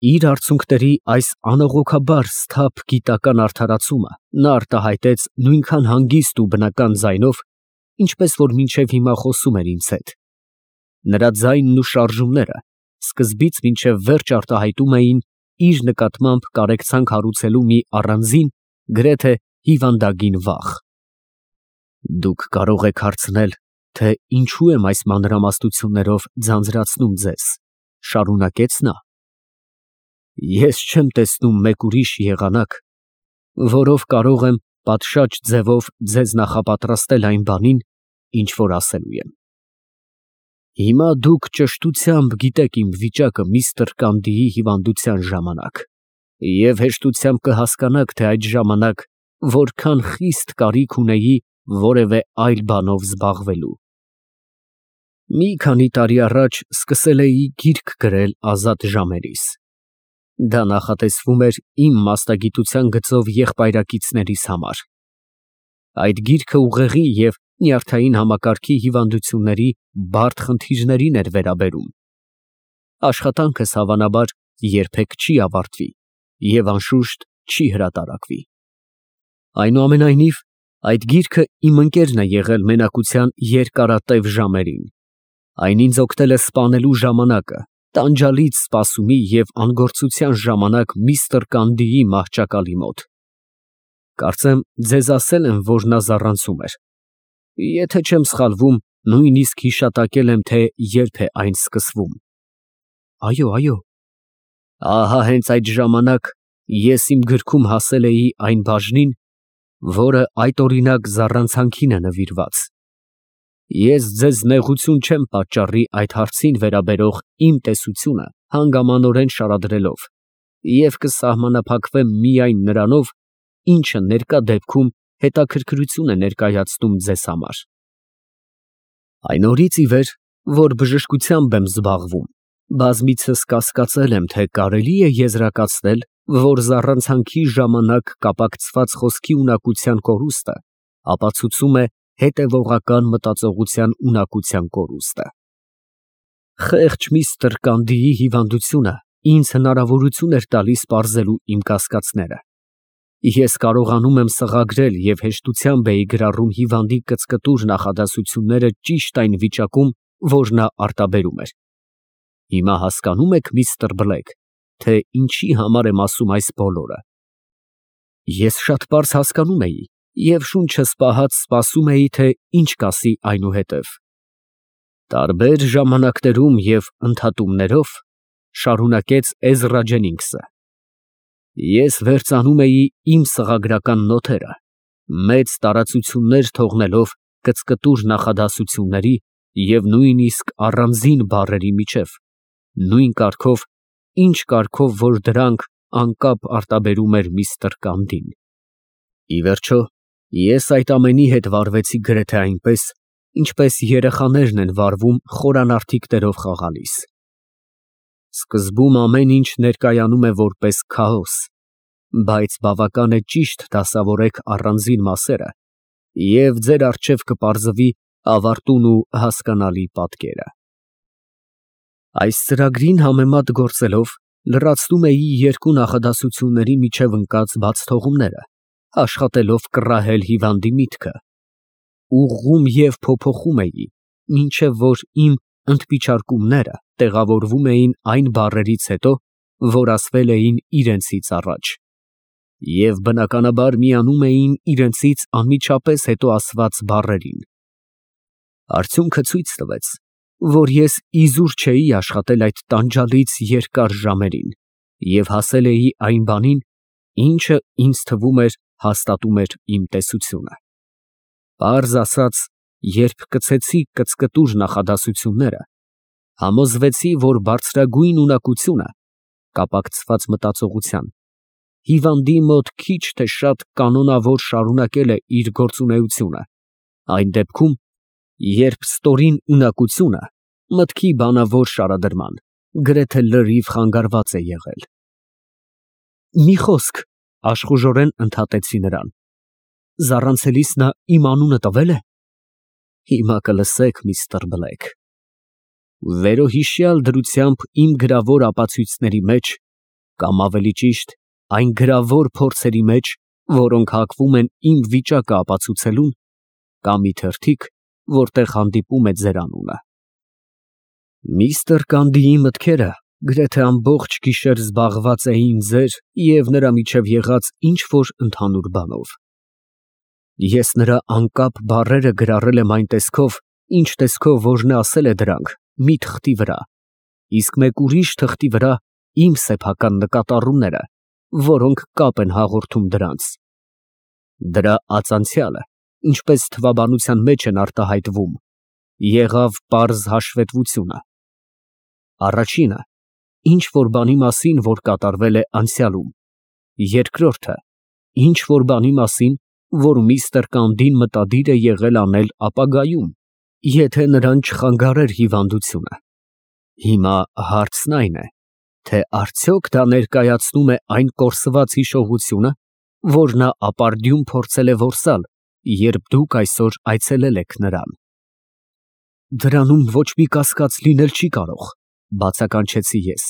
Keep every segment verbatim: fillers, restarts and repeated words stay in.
Իր արցունքների այս անողոքաբար սթափ գիտական արդարացումը նա արտահայտեց նույնքան հանգիստ ու բնական ձայնով, ինչպես որ մինչև հիմա խոսում էր ինձ հետ. նրա ձայնն ու շարժումները սկզբից մինչև վերջ արտահայտում էին իր նկատմամբ կարեկցանք հարուցելու մի առանձին, գրեթե հիվանդագին վախ։ Դուք կարող եք հարցնել, թե ինչու եմ այս մանրամասնություններով ձանձրացնում ձեզ, շարունակեց նա։ Ես չեմ տեսնում մեկ ուրիշ եղանակ, որով կարող եմ պատշաճ ձևով ձեզ նախապատրաստել այն բանին, ինչ որ ասելու եմ։ Հիմա դուք ճշտությամբ գիտեք իմ վիճակը միստր Կանդիի հիվանդության ժամանակ և հեշտությամբ կհասկանաք, թե այդ ժամանակ որքան խիստ կարիք ունեի որևէ այլ բանով զբաղվելու։ Մի քանի տարի առաջ սկսել էի գիրք գրել ազատ ժամերիս։ Դա նախատեսվում էր իմ մասնագիտության գծով եղբայրակիցներիս համար։ Այդ գիրքը ուղեղի և նյարդային համակարգի հիվանդությունների բարդ խնդիրներին էր վերաբերում։ Աշխատանքս հավանաբար երբեք չի ավարտվի և անշուշտ չի հրատարակվի։ Այնուամենայնիվ, այդ գիրքը իմ ընկերն է եղել մենակության երկարատև ժամերին։ Այն ինձ օգնել է սպանելու ժամանակը, տանջալից սպասումի և անգործության ժամանակ միստր Կանդիի մահճակալի մոտ։ Կարծեմ, ձեզ ասել եմ, որ նա զառանցում էր։ Եթե չեմ սխալվում, նույնիսկ հիշատակել եմ, թե երբ է այն սկսվում։ Այո, այո։ Ահա հենց այդ ժամանակ ես իմ գրքում հասել էի այն բաժնին, որը այդօրինակ զառանցանքին է նվիրված։ Ես ձեզ նեղություն չեմ պատճառի այդ հարցին վերաբերող իմ տեսությունը հանգամանորեն շարադրելով և կսահմանափակվեմ միայն նրանով, ինչը ներկա դեպքում հետաքրքրություն է ներկայացնում ձեզ համար։ Այն օրից ի վեր, որ բժշկությամբ եմ զբաղվում, բազմիցս կասկածել եմ, թե կարելի է եզրակացնել, որ զառանցանքի ժամանակ կապակցված խոսքի ունակության կորուստը ապացուցում է հետևողական մտածողության ունակության կորուստը։ Խեղճ միստր Կանդիի հիվանդությունը ինձ հնարավորություն էր տալիս պարզելու իմ կասկածները։ Ես կարողանում եմ սղագրել և հեշտությամբ էի գրառում հիվանդի կծկտուր նախադասությունները ճիշտ այն վիճակում, որ նա արտաբերում էր։ Հիմա հասկանո՞ւմ եք, միստր Բլեք, թե ինչի համար եմ ասում այս բոլորը։ Ես շատ պարզ հասկանում էի և շունչս պահած սպասում էի, թե ինչ կասի այնուհետև։ Տարբեր ժամանակներում և ընդհատումներով, շարունակեց Էզրա Ջենինգսը, ես վերծանում էի իմ սղագրական նոթերը, մեծ տարածություններ թողնելով կծկտուր նախադասությունների և նույնիսկ առանձին բառերի միջև, նույն կարգով, ինչ կարգով որ դրանք անկապ արտաբերում էր միստր Կանդին։ Ի վերջո, ես այդ ամենի հետ վարվեցի գրեթե այնպես, ինչպես երեխաներն են վարվում խորանարդիկներով խաղալիս։ Սկզբում ամեն ինչ ներկայանում է որպես քաոս, բայց բավական է ճիշտ դասավորեք առանձին մասերը, և ձեր առջև կպարզվի ավարտուն ու հասկանալի պատկերը։ Այս ծրագրին համեմատ գործելով, լրացնում էի երկու նախադասությունների միջև ընկած բացթողումները, աշխատելով կռահել հիվանդի միտքը, ուղղում և փոփոխում էի, մինչև որ իմ ընդմիջարկումները տեղավորվում էին այն բառերից հետո, որ ասվել էին իրենցից առաջ, և բնականաբար միանում էին իրենցից անմիջապես հետո ասված բառերին։ Արդյունքը ցույց տվեց, որ ես իզուր չէի աշխատել այդ տանջալից երկար ժամերին և հասել էի այն բանին, ինչը ինձ թվում էր հաստատում էր իմ տեսությունը։ Պարզ ասած, երբ կցեցի կծկտուր նախադասությունները, համոզվեցի, որ բարձրագույն ունակությունը, կապակցված մտածողության, հիվանդի մոտ քիչ թե շատ կանոնավոր շարունակել է իր գործունեությունը, այն դեպքում, երբ ստորին ունակությունը մտքի բանավոր շարադրման գրեթե լրիվ խանգարված է եղել։ Մի խոսք, աշխուժորեն ընդհատեցի նրան, զառանցելիս նա իմ անունը տվե՞լ է։ Հիմա կլսեք, միստր Բլեք։ Վերոհիշյալ դրությամբ իմ գրավոր ապացույցների մեջ կամ ավելի ճիշտ, այն գրավոր փորձերի մեջ, որոնք հակվում են իմ վիճակը ապացուցելուն, կամ մի թերթիկ, որտեղ հանդիպում է ձեր անունը։ Միստր Կանդիի մտքերը գրեթե ամբողջ գիշեր զբաղված էին ձեր և նրա միջև եղած ինչ-որ ընդհանուր բանով։ Ես նրա անկապ բառերը գրառել եմ այն տեսքով, ինչ տեսքով որ նա ասել է դրանք մի թղթի վրա, իսկ մեկ ուրիշ թղթի վրա իմ սեփական նկատառումները, որոնք կապ են հաղորդում դրանց։ Դրա ածանցյալը, ինչպես թվաբանության մեջ են արտահայտվում, եղավ պարզ հաշվետվությունը։ Առաջինը, ինչ որ բանի մասին, որ կատարվել է անցյալում, երկրորդը, ինչ որ բանի մասին, որ միստր Կանդին մտադիր է եղել անել ապագայում, եթե նրան չխանգարեր հիվանդությունը։ Հիմա հարցն այն է, թե արդյոք դա ներկայացնում է այն կորսված հիշողությունը, որ նա ապարդյուն փորձել է որսալ, երբ դուք այսօր այցելել եք նրան։ Դրանում ոչ մի կասկած լինել չի կարող, բացականչեցի ես։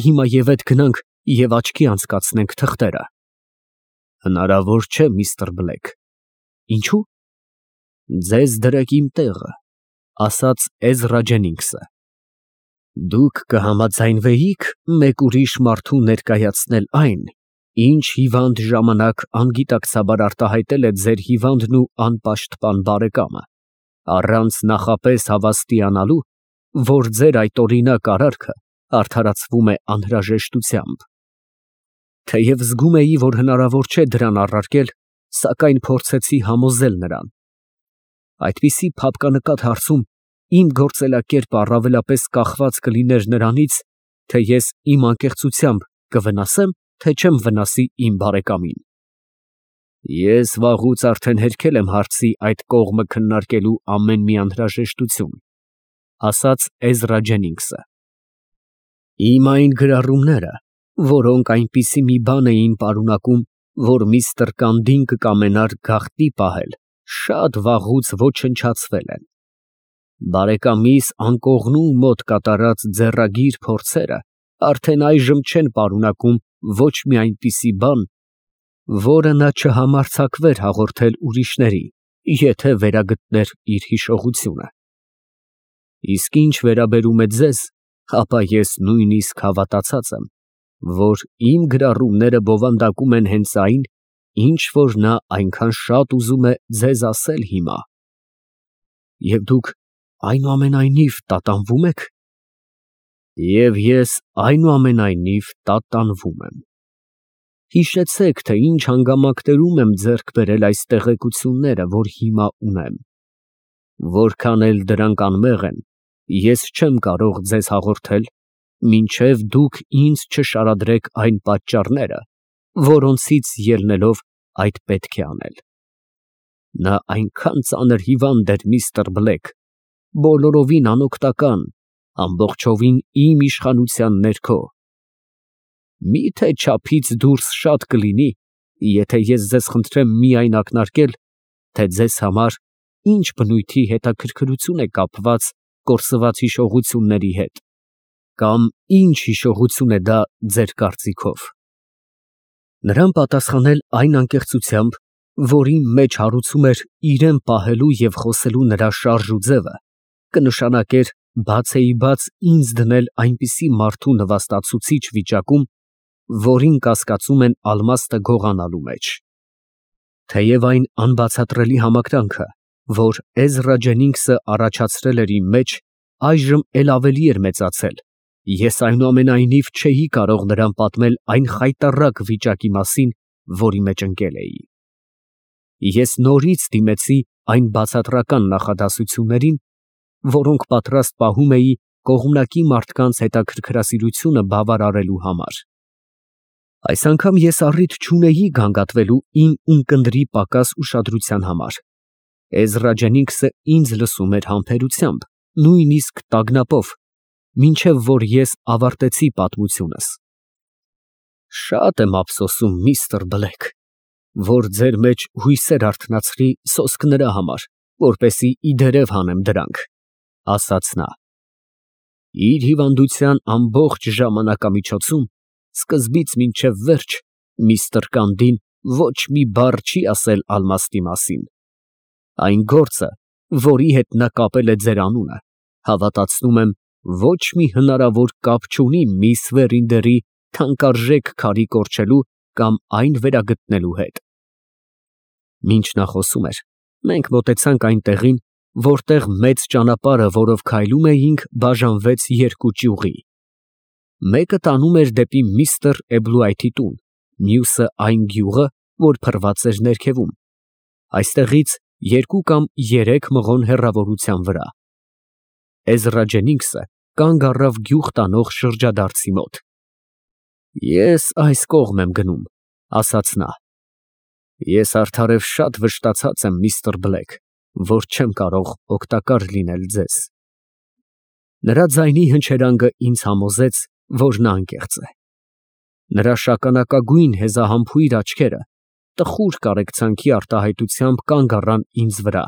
Հիմա և էդ գնանք և աչքի անցկացնենք թղթերը։ Հնարավոր չէ, միստր Բլեք։ Ինչու՞։ Ձեզ դրեք իմ տեղը, ասաց Էզրա Ջենինգսը։ Դուք կհամաձայնվեիք մեկ ուրիշ մարդու ներկայացնել այն, ինչ հիվանդ ժամանակ անգիտակցաբար արտահայտել է ձեր հիվանդն ու անպաշտպան բարեկամը, առանց նախապես հավաստիանալու, որ ձեր այդ օրինակ արարքը արդարացվում է անհրաժեշտությամբ։ Թեև զգում էի, որ հնարավոր չէ դրան առարկել, սակայն փորձեցի համոզել նրան։ Այդպիսի փափկանկատ հարցում իմ գործելակերպը առավելապես կախված կլիներ նրանից, թե ես իմ անկեղծությամբ կվնասեմ, թե չեմ վնասի իմ բարեկամին։ Ես վաղուց արդեն հերքել եմ հարցի այդ կողմը քննարկելու ամեն մի անհրաժեշտություն, ասաց Էզրա Ջենինգսը։ Իմ այն գրառումները, որոնք այնպիսի մի բան էին պարունակում, որ միստր Կանդին կկամենար գաղտնի պահել, շատ վաղուց ոչնչացվել են։ Բարեկամիս անկողնու մոտ կատարած ձեռագիր փորձերը արդեն այժմ չեն պարունակում ոչ մի այնպիսի բան, որը նա չհամարձակվեր հաղորդել ուրիշների, եթե վերագտներ իր հիշողությունը։ Իսկ ինչ վերաբերում է ձեզ, ապա ես նույնիսկ հավատացած եմ, որ իմ գրառումները բովանդակում են հենց այն, ինչ որ նա այնքան շատ ուզում է ձեզ ասել հիմա։ Եվ դուք այնուամենայնիվ տատանվում եք։ Եվ ես այնուամենայնիվ տատանվում եմ։ Հիշեցեք, թե ինչ հանգամանքներում եմ ձեռք բերել այս տեղեկությունները, որ հիմա ունեմ։ Որքան էլ դրանք անմեղ են, ես չեմ կարող ձեզ հաղորդել, մինչև դուք ինձ չշարադրեք այն պատճառները, որոնցից ելնելով այդ պետք է անել։ Նա այնքան ծանր հիվանդ էր, միստր Բլեք, բոլորովին անօգնական, ամբողջովին իմ իշխանության ներքո։ Մի՞թե չափից դուրս շատ կլինի, եթե ես ձեզ խնդրեմ միայն ակնարկել, թե ձեզ համար ինչ բնույթի հետաքրքրություն է կապված կորսված հիշողությունների հետ, կամ ինչ հիշողություն է դա ձեր կարծիքով։ Նրան պատասխանել այն անկեղծությամբ, որի մեջ հարուցում էր իրեն պահելու և խոսելու նրա շարժ ու ձևը, կնշանակեր բացեիբաց ինձ դնել այնպիսի մարդու նվաստացուցիչ վիճակում, որին կասկածում են ալմաստը գողանալու մեջ։ Թեև այն անբացատրելի համակրանքը, որ Էզրա Ջենինգսը առաջացրել էր իմ մեջ, այժմ էլ ավելի էր մեծացել, ես այնուամենայնիվ չէի կարող նրան պատմել այն խայտառակ վիճակի մասին, որի մեջ ընկել էի։ Ես նորից դիմեցի այն բացատրական նախադասություններին, որոնք պատրաստ պահում էի կողմնակի մարդկանց հետաքրքրասիրությունը բավարարելու համար։ Այս անգամ ես առիթ չունեի գանգատվելու իմ ունկնդրի պակաս ուշադրության համար։ Էզրա Ջենինգսը ինձ լսում էր համբերությամբ, նույնիսկ տագնապով, մինչև որ ես ավարտեցի պատմությունս։ Շատ եմ ափսոսում, միստր Բլեք, որ ձեր մեջ հույսեր արթնացրի սոսկ նրա համար, որպեսզի ի դերև հանեմ դրանք, ասաց նա։ Իր հիվանդության ամբողջ ժամանակամիջոցում սկզբից մինչև վերջ միստր Կանդին ոչ մի բառ չի ասել Ալմաստի մասին։ Այն գործը, որի հետ նա կապել է ձեր անունը, հավատացնում եմ, ոչ մի հնարավոր կապ չունի միս Վերինդերի թանկարժեք քարի կորչելու կամ այն վերագտնելու հետ։ Մինչ նա խոսում էր, մենք մոտեցանք այն տեղին, որտեղ մեծ ճանապարհը, որով քայլում էինք, բաժանվեց երկու ճյուղի։ Մեկը տանում էր դեպի միստր Էբլուայթի տուն, մյուսը այն գյուղը, որ փռված էր ներքևում, այստեղից երկու կամ երեք մղոն հեռավորության վրա։ Էզրա Ջենինգսը կանգ առավ գյուղ տանող շրջադարձի մոտ։ Ես այս կողմ եմ գնում, ասաց նա։ Ես արդարև շատ վշտացած եմ, միստր Բլեք, որ չեմ կարող օգտակար լինել ձեզ։ Նրա ձայնի հնչերանգը ինձ համոզեց, որ նա անկեղծ է։ Նրա շագանակագույն հեզահամբույր աչքերը տխուր կարեկցանքի արտահայտությամբ կանգ առան ինձ վրա։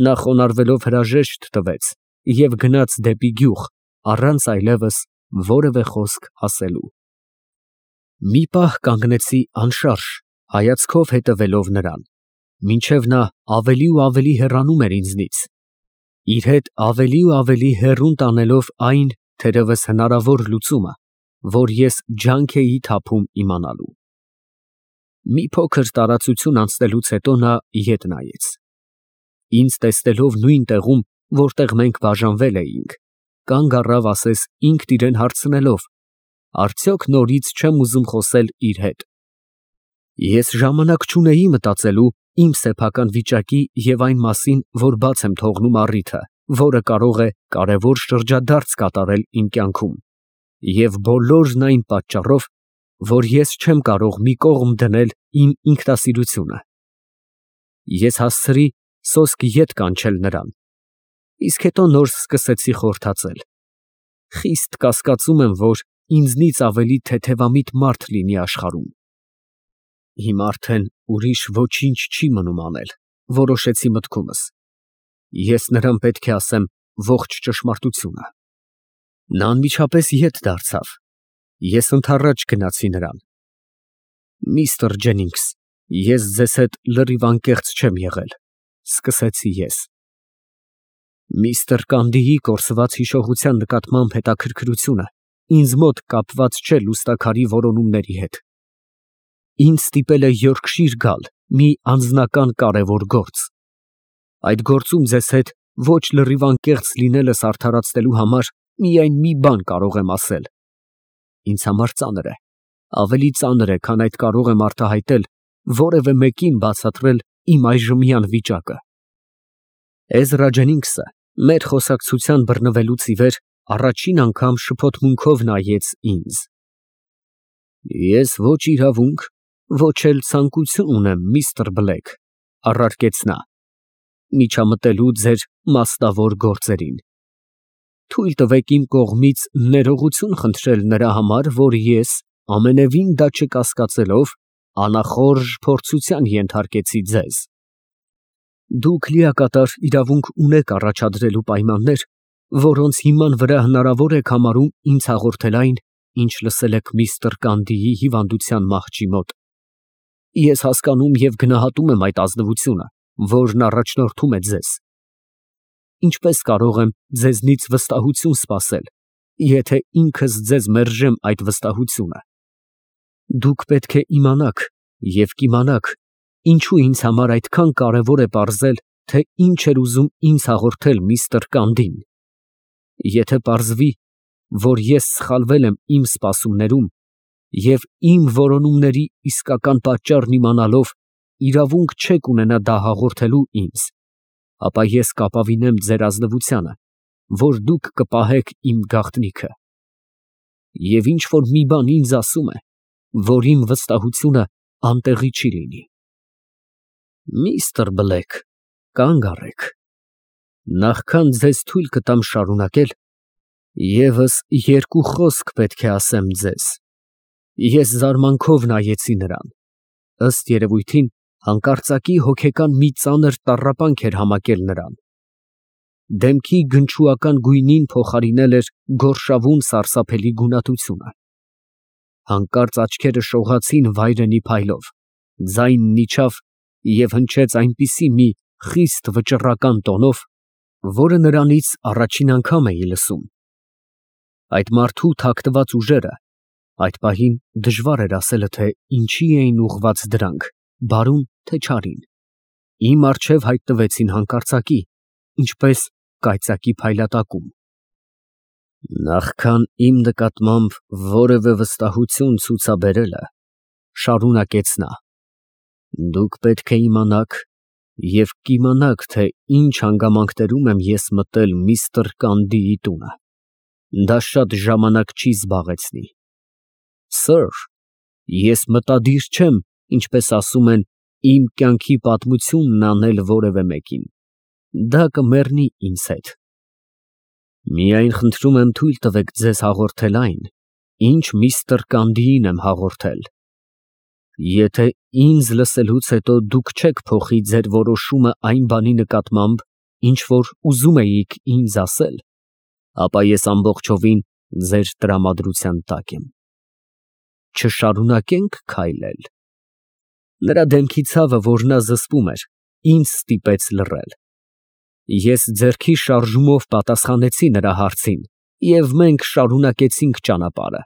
Նա խոնարհվելով հրաժեշտ տվեց և գնաց դեպի գյուղ, առանց այլևս որևէ խոսք ասելու։ Մի պահ կանգնեցի անշարժ, հայացքով հետևելով նրան, մինչև նա ավելի ու ավելի հեռանում էր ինձնից, իր հետ ավելի ու ավելի հեռուն տանելով այն, թերևս հնարավոր լուծումը, որ ես ջանք էի թափում իմանալու։ Մի փոքր տարածություն անցնելուց հետո նա ետ նայեց։ Ինձ տեսնելով նույն տեղում, որտեղ մենք բաժանվել էինք, կանգ առավ ասես ինքն իրեն հարցնելով. արդյոք նորից չեմ ուզում խոսել իր հետ։ Ես ժամանակ չունեի մտածելու իմ սեփական վիճակի և այն մասին, որ բաց եմ թողնում առիթը, որը կարող է կարևոր շրջադարձ կատարել իմ կյանքում, և բոլորն այն պատճառով, որ ես չեմ կարող մի կողմ դնել իմ ինքնասիրությունը։ Ես հասցրի սոսկ ետ կանչել նրան, իսկ հետո նոր սկսեցի խորհրդածել։ Խիստ կասկածում եմ, որ ինձնից ավելի թեթևամիտ մարդ լինի աշխարհում։ Հիմա արդեն ուրիշ ոչինչ չի մնում անել, որոշեցի մտքումս։ Ես նրան պետք է ասեմ ողջ ճշմարտությունը։ Նա անմիջապես ետ դարձավ։ Ես ընդառաջ գնացի նրան։ Միստր Ջենինգս, ես ձեզ հետ լրիվ անկեղծ չեմ եղել, սկսեցի ես։ Միստր Կանդիի կորսված հիշողության նկատմամբ հետաքրքրությունը ինձ մոտ կապված չէ լուստաքարի որոնումների հետ։ Ինձ ստիպել է Յորքշիր գալ մի անձնական կարևոր գործ։ Այդ գործում ձեզ հետ ոչ լրիվ անկեղծ լինելս արդարացնելու համար միայն մի բան կարող եմ ասել։ Ինձ համար ծանր է, ավելի ծանր է, քան այդ կարող եմ արտահայտել որևէ մեկին բացատրել իմ այժմյան վիճակը։ Էզրա Ջենինգսը մեր խոսակցության բռնվելուց ի վեր առաջին անգամ շփոթմունքով նայեց ինձ։ Ես ոչ իրավունք, ոչ էլ ցանկություն ունեմ, միստր Բլեք, առարկեց նա, միջամտելու ձեր մասնավոր գործերին։ Թույլ տվեք իմ կողմից ներողություն խնդրել նրա համար, որ ես, ամենևին դա չկասկածելով, անախորժ փորձության ենթարկեցի ձեզ։ Դուք լիակատար իրավունք ունեք առաջադրելու պայմաններ, որոնց հիման վրա հնարավոր եք համարում ինձ հաղորդել այն, ինչ լսել եք միստր Կանդիի հիվանդության մահճի մոտ։ Ես հասկանում և գնահատում եմ այդ ազնվությունը, որն առաջնորդում է ձեզ։ Ինչպես կարող եմ ձեզնից վստահություն սպասել, եթե ինքս ձեզ մերժեմ այդ վստահությունը։ Դուք պետք է իմանաք և կիմանաք, ինչու ինձ համար այդքան կարևոր է պարզել, թե ինչ էր ուզում ինձ հաղորդել միստր Կանդին։ Եթե պարզվի, որ ես սխալվել եմ իմ սպասումներում և իմ որոնումների իսկական պատճառն իմանալով իրավունք չեք ունենա դա հաղորդելու ինձ, ապա ես կապավինեմ ձեր ազնվությանը, որ դուք կպահեք իմ գաղտնիքը։ Եվ ինչ որ մի բան ինձ ասում է, որ իմ վստահությունը անտեղի չի լինի։ Միստր Բլեք, կանգ առեք։ Նախքան ձեզ թույլ կտամ շարունակել, ևս երկու խոսք պետք է ասեմ ձեզ։ Ես զարմանքով նայեցի նրան։ Ըստ երևույթին, հանկարծակի հոգեկան մի ծանր տառապանք էր համակել նրան։ Դեմքի գնչուական գույնին փոխարինել էր գորշավուն սարսափելի գունատությունը։ Հանկարծ աչքերը շողացին վայրենի փայլով, ձայնն իջավ և հնչեց այնպիսի մի խիստ վճռական տոնով, որը նրանից առաջին անգամ էի լսում։ Այդ մարդու թաքնված ուժերը (այդ պահին դժվար էր ասելը, թե ինչի էին ուղղված դրանք, բարո՞ւն, թե չարին) իմ առջև հայտնվեցին հանկարծակի, ինչպես կայծակի փայլատակում։ Նախքան իմ նկատմամբ որևէ վստահություն ցուցաբերելը, շարունակեց նա, դուք պետք է իմանաք և կիմանաք, թե ինչ հանգամանքներում եմ ես մտել միստր Կանդիի տունը, դա շատ ժամանակ չի զբաղեցնի։ Սըր, ես մտադիր չեմ, ինչպես ասում են, իմ կյանքի պատմությունն անել որևէ մեկին, դա կմեռնի ինձ հետ։ Միայն խնդրում եմ թույլ տվեք ձեզ հաղորդել այն, ինչ միստր Կանդիին եմ հաղորդել։ Եթե ինձ լսելուց հետո դուք չեք փոխի ձեր որոշումը այն բանի նկատմամբ, ինչ որ ուզում էիք ինձ ասել, ապա ես ամբողջովին ձեր տրամադրության տակ եմ։ Չշարունակե՞նք քայլել։ Նրա դեմքի ցավը, որ նա զսպում էր, ինձ ստիպեց լռել։ Ես ձեռքի շարժումով պատասխանեցի նրա հարցին, և մենք շարունակեցինք ճանապարհը։